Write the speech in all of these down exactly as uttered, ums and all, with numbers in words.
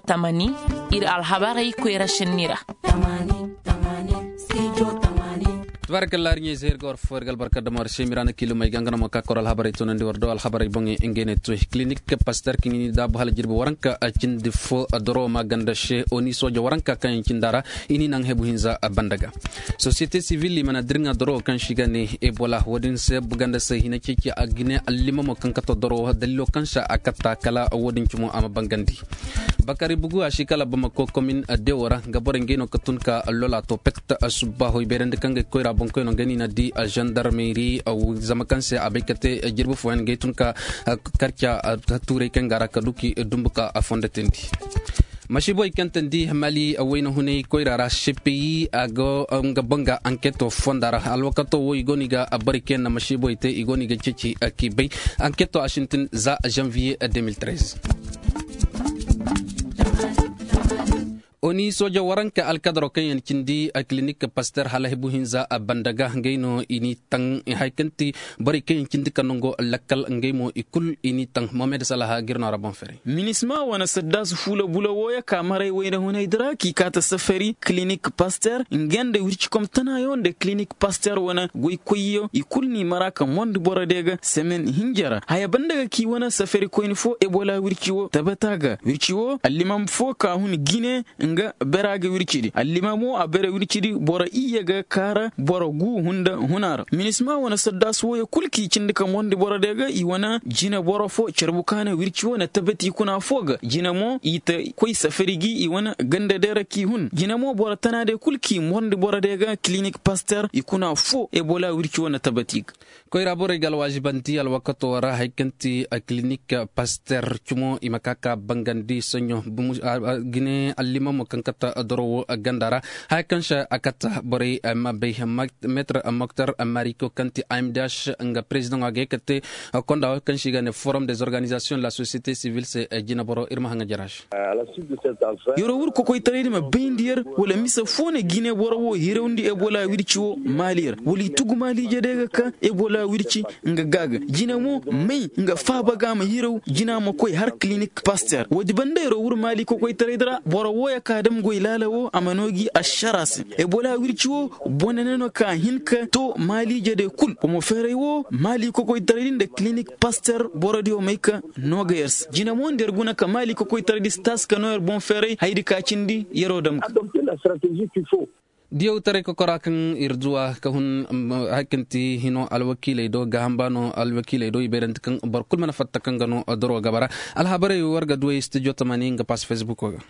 Tamani, ir alhabarey koyra šenni ra. Tabaarakallahi ir ɲey zay ir ga war fo ir ga albarka dama war se miraana kiilumey ga nga no ma ka kor alhabarey toonandi war do alhabarey boŋey ngey ne toy kilinik paster kaŋ i ni daabu hala jirbi waranka cindi fo doro ma ganda se oni sooja waranka kaŋ yaŋ cindi a ra. I ni naŋ hebu hinza banda ga sosiyete sivil i mana dirŋa doro kaŋ se i ga ne ebola wo-din se buganda se hina ceeci a gine allimamo kaŋ kato doro daliilo kaŋ se a katta kala wo-din cumo a ma bangandi. Bakari bugu a si kala bamako komin dewo ra nga borey ngey no ka tun ka lola to pet. Subbaho i bayrandi kaŋ ga koyra boŋkoy no nga ni na di zandarmeri zama kaŋ se a bay ka te jirbi fooyaŋ ngey tun ka karca tuurey kaŋ ga ra ka du ki dumbu ka a fondo teendi. Masiibo i kaŋ teendi mali wayna hunay koyra ra sepeyi a go nga banga anketo fonda ra alwakato wo i go no i ga bari kaŋ yaŋ na masiibo i te i go no i ga ceeci k'i bay. Anketo a sintin za zanviye deux mille treize. Oni sooja waranka alkadaro kaŋ yaŋ cindi a kilinik paster hala hebu hinza a banda ga ngey no i ni taŋ hari kaŋ ti borey kaŋ yaŋ cindi ka nango lakkal ngey mo i kul i ni taŋ mohamed salaha ga ir no a ra boŋ fere. Minisma wane saddaas fuula bula wooyo ka maray wayna hunay di ra k'i kaata safari kilinik paster nga nda wircikom tanayo nda kilinik paster wane goykoyyo i kul n'i mara ka mondi boro de ga semen hinja ra haya banda ga k'i wane safari koyni fo ebola wirci wo tabata ga wirci wo allimam fo ka hun gine nga bera ga wircidi allimamo a bera wircidi boro iyye ga kaara boro gu hunda huna ra minisma wane saddaas wooyo kul k'i cindi ka mondi boro de ga i wane jine boro fo carbu ka na wirci wo na tabati kuna fo ga jine mo i ta koy safari gi i wane ganda de ra k'i hun jine mo boro tana de kul k'i mondi boro de ga kilinik paster i kuna fo ebola wirci wo na tabati ga. Koyra borey ga alwaazibanti alwakato ra hari kaŋ ti kilinik paster cumo i ma ka ka bangandi soɲo gine allimamo kaŋ kata doro wo ganda ra. Hari kaŋ se a kata borey ma bay meetar moktar mariko kaŋ ti amdash nga perezidaŋo a ga ye ka te konda wo kaŋ se i ga ne forum des organizasiyoŋ de la sosiyete sivil se. Jineboro ir ma haŋa jaraš. Yeroo wur kokoytaray di ma bayndi yer wala mise foo na gine boro wo hirawndi ebola wirci wo maali yer wala i tugu maaliije day ga ka ebola wirci nga gaaga jine mo may nga faaba ga a ma hiraw jina ma koy har kilinik paster woodi banda yeroo wur maali kokoytaray di ra boro wooya ka dam goy laala wo a ma noo gi ašara se ebola wirci wo bone ne no ka hin ka to maaliije day kul bomo feeray wo maali kokoytaray di nda kilinik paster borodiyo may ka noo ga yer se jine mo nda yer guna ka maali kokoytaray di si taasi ka noo yer boŋ feeray hayadi ka cindi yeroo dam ga. Diyawtaray kokora kaŋ ir duwa ka hun hari kaŋ ti hino alwakiiley do gaaham ba no alwakiiley do i bayrandi kaŋ boro kulu mana fatta kaŋ ga no doro gaba ra. Alhabarey war ga duwey studio tamani nga pass facebook ga.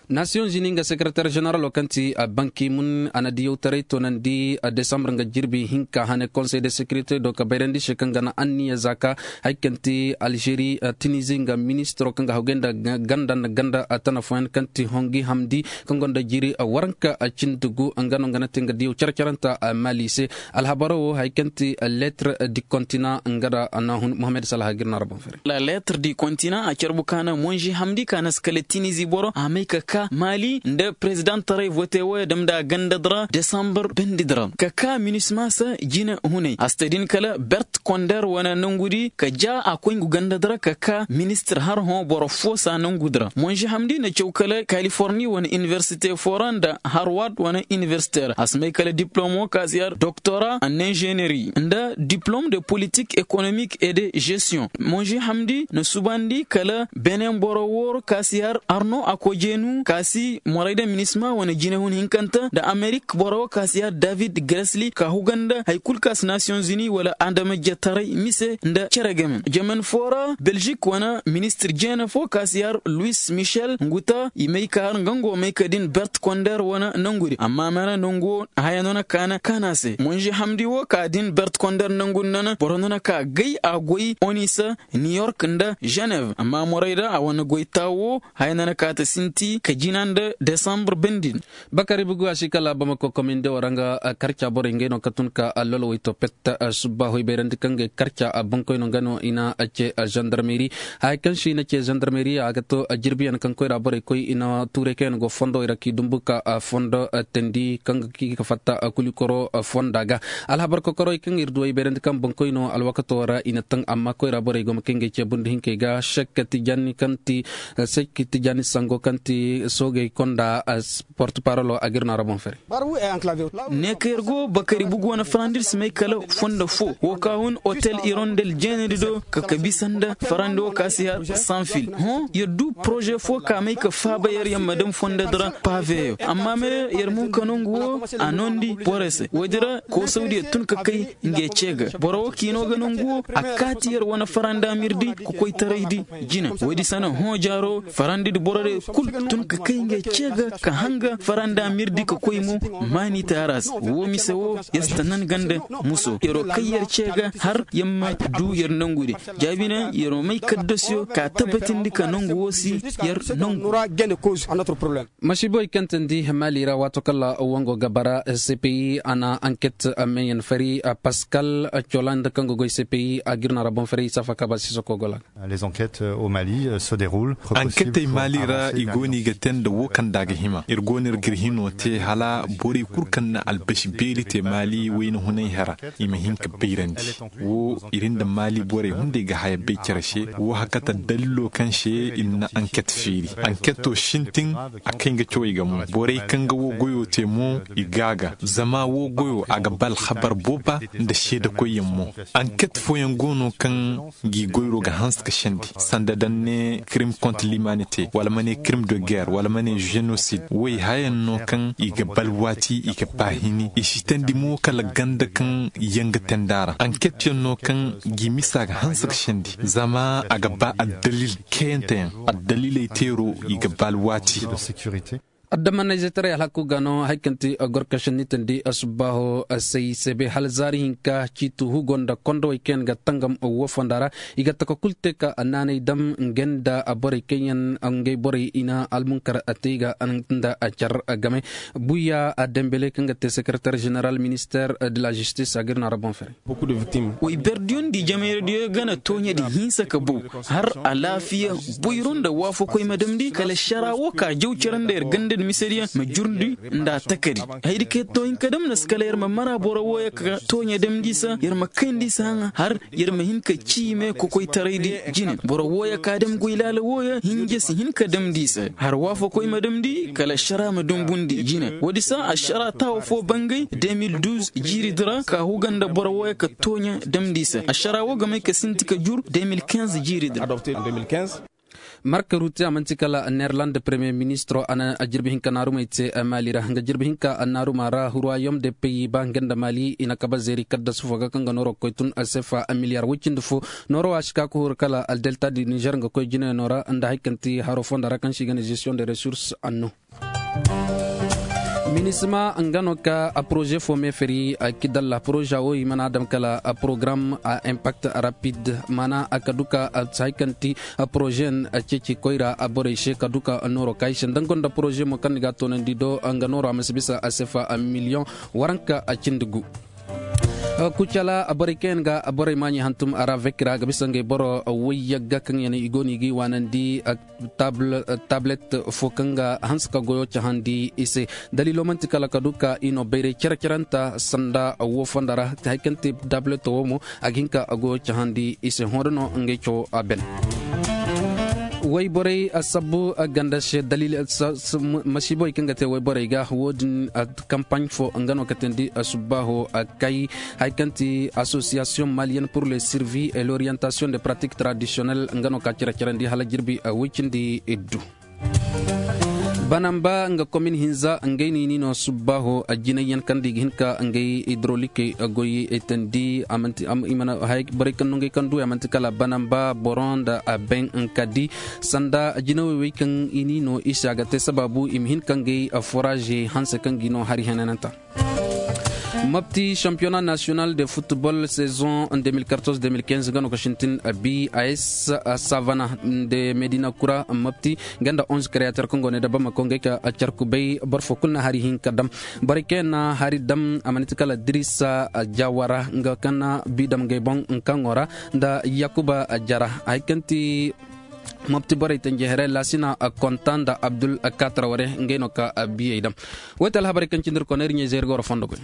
Nasiyoŋ zini nga sekereter ženeralo kaŋ ti banki mun a na diyawtaray toonandi desambar nga jirbi hinka hane konsey de sekirite do ka bayrandi se kaŋ ga na anniya za ka hari kaŋ ti alžeri tinizi nga ministiro kaŋ ga hawgay nda ganda nda ganda tana fooyaŋ kaŋ ti hongi hamdi kaŋ gonda jiri waranka cindi gu nga no nga na te nga diyaw care caranta mali se. Alhabaro wo hari kaŋ ti lettre du continent nga da na hun mohamed salaha gir no a ra boŋ fere. La lettre du continent a carbu ka na monži hamdi ka na si kala tinizi boro a may ka ka mali nda prezidantaray vote wooyo dam nda ganda di ra desambar bendi di ra ka ka minisma se jine hunay a si ta din kala bert konder wane nangudi ka ja a koy ngu ganda di ra ka ka ministir har hõ boro fo sa nangudi ra monži hamdi na caw kala kaliforni wane iniversite fo ra nda harward wane iniversite ra a si may kala diplomo ka si yar doktora en inženeri nda diplome de politik ekonomik e de gestiyon monži hamdi na subandi kala benen boro wooro ka si har arno akojeenu ka si morayda minisma wane jinehun hinkanta nda amerik boro wo ka si har david gresli ka huganda hari kulu ka si nasiyoŋ zini wala adamajetaray mise nda cere game jemen foo ra beljik wane ministir jeene foo ka si har luis michel nguta i may ka har nga ngo may ka din bert konder wane nangudi amma mana nangu wo haya no na kaana kaana se monže hamdi wo ka din bert konder nangudi nana boro no na ka gay a goy onisa niyork nda ženev amma morayda a wane goy taawo haya no na ka ta sinti ka jina nda desambur bendin. Bakari bugu a si kala bamako kominde wara nga karca borey ngey no ka tun ka allolo way to pet subba hoy bayrandi. Ngey karca bankoy no nga no i na ce zandarmeri. Haya kaŋ se i na ce zandarmeri a ga to jirbiyaŋ kaŋ koyra borey koy i na tuuray kaŋ yaŋ go fondowey ra k'i dumbu ka fondo teendi kaŋ ga k'i ga fatta kulikoro fonda ga. Alhabar kokorey kaŋ ir du ay bayrandi kaŋ bankoy no alwakato ra i na taŋ amma koyra borey go ma kay ngey ce bundu hinkey ga sek tijani kaŋ ti sek tijani sango kaŋ ti soogey konda porte parolo a ga ir no a ra boŋ fere. Ne ka yer go bakari bugu wane farandi ir si may kala fondo fo wo ka hun otel irondel jeenandi do ka ka bisa nda farandi wo ka si har sanfil. Hõ yer du poroze fo ka may ka faaba yer yer ma daŋ fondo di ra paveyo amma me yer mo ka nongu wo a noondi borey se woodi ra koosawdi yer tun ka kay nge ce ga boro wo ka i no ga nongu wo a kaati yer wane faranda mirdi ka koy taraydi jine woodi sana hõ jaaro farandi di boro de kul tun ka kay nge ce ga ka hanga faranda mirdi ka koy mo maani taara se wo mise wo yer si ta nan ganda muso yero kay yer ce ga har yer ma du yer nongu de jaabina yero may kaddasiyo ka tabatindi ka nongu wo si yer nongu. Masiibo i kantandi maali ra waato kala wango ga bara cpi a na anket meeyaŋ fari paskal cola nda kaŋ ga goy cpi a ga ir no a ra boŋ fari safa kaaba sisoko gola. Anketey maali ra i go no i ga te nda wo kaŋ nda a ga hima ir go no ir ga ir hino te hala borey kul kaŋ na albasi beeri te maali wayna hunay hera i ma hin ka bayrandi. Wo ir nda maali borey hunday ga haya bay cere se wo hakata dalilo kaŋ se ir na anket feeri anketo sintin a kay nga cawey ga mo borey kaŋ ga wo goyo te mo i ga a ga zama wo goyo a ga ba alhabar booba nda seedakoyyaŋ mo. Anket fooyaŋ go no kaŋ ngi goyro ga hanse ka sendi sanda daŋ ne kirim kontre limanite wala ma ne kirim de guerre wala ma ne jenosid woy hayaŋ no kaŋ i ga ba alwaati i ga ba hini i si teendi mo kala ganda kaŋ yaŋ ga teendi a ra anketyaŋ no kaŋ ngi misa ga hanse ka sendi zama a ga ba addalil kayanteyaŋ addaliley teero i ga ba alwaati. Addamanayzetaray alhaku ga no hari kaŋ ti gorkašin ni tandi subbaaho say sebe hala zaari hinka ciitu hugo nda kondowey kaŋ yaŋ ga tangam wo fonda ra i ga taka kul te ka naanay dam nga nda borey kaŋ yaŋ ngey borey i na almunkar te i ga nda car game. Buya dembele kaŋ ga te sekretar ženeral minister de la jistis a ga ir no a ra boŋ fere. Way berdiyoŋ di jamayra diyo ga na tooɲe di hinsa ka bow har alaafiya boyro nda waafakoy ma damndi kala ašara wo ka jaw cere nda yer ganda nda misediyaŋ ma jurndi nda a takari. Hayadi kaŋ yer to hin ka damndi se kala yer ma mara boro wooyo ka tooɲe damndi se yer ma kayndi se haŋa har yer ma hin ka cii me kokoytaraydi jine boro wooyo ka dam goy laala wooyo hinja si hin ka damndi se har waafakoy ma damndi kala ašara ma dumbundi jine woodi se ašara taawo fo bangay de mil duuz jiiridi ra ka huga nda boro wooyo ka tooɲa damndi se ašara woo ga may ka sinti ka jur de mil kinz jiiridi ra. Marka ruti a man'ti kala neerland premiyer ministiro a na jirbi hinka naarumey te maali ra nga jirbi hinka naaruma ra ruwayom de peyi ba nga nda maali i na kaba zeeri kaddasu fo ga kaŋ ga nooro ga koy tun sefa miliyar woy cindi fo. Nooro a si ka ka huru kala aldelta di nizer nga koy jinayano ra nda hari kaŋ ti haro fonda ra kaŋ se i ga ne zestiyoŋ de resurse anno. Minisma nga no ka poroze fo meefari kidalla poroza wo i mana a dam kala porogaram a impakt rapid mana a ka duka a si hay kaŋ ti poroze yaŋ ceeci koyra borey se ka duka nooro ka i se nda nga nda poroze mo kaŋ ni ga a toonandi do nga nooro a ma si bisa a sefa miliyoŋ waranka cindi gu. Kucala borey kaŋ yaŋ ga borey maaɲi hantum a ra vekira ga bisa ngey boro woy yagga kaŋ yaŋ i go no i ga i waanandi. Tablet fo kaŋ ga hanse ka goyo cahandi i se. Daliilo man'ti kala ka du ka i no bayray care-caranta sanda wo fonda ra hari kaŋ te tablet wo mo a ga hin ka goyo cahandi i se hõda no ngey cawo a ben. Wayborey a sabbu ganda se daliil masiibowey kaŋ ga te wayborey ga wo-din. Kampaɲ fo nga no ka teendi subbaaho kay hari kaŋ ti asosiyasiyoŋ maliyenne pur le sirvi et l'orientation de pratik tradisiyonel nga no ka cere-cerandi hala jirbi woy cindi iddu. Banamba nga komin hinza ngey no i n'i no subbaaho jinayyaŋ kaŋ nda i ga hin ka ngey idrolikey goy teendi a man'ti i mana borey kaŋ no ngey kaŋ duwey a man'ti kala banamba boro nda a ben ka di sanda jinawey wey kaŋ i n'i no i se a ga te sabaabu i ma hin ka ngey foraazey hanse kaŋ ga i no hari henananta. Mopti championnat national de football saison deux mille quatorze deux mille quinze nga no ka sintin, bis savana nda medina kura mopti, nga nda onze créateur kaŋ go ne da bamako ngey ka carku bay boro fo kulu na hari hinka dam. Borey kaŋ yaŋ na hari dam a man'ti kala dirisa jawara nga kaŋ na bi dam ngey boŋ nkaŋo ra, nda yakuba jara. Hari kaŋ ti mopti borey tanji here laasina konta nda abdul katara ware ngey no ka biyey dam. Woy ti alhabarey kaŋ cindi ir kona ir ɲey zey ir ga war fondo goy.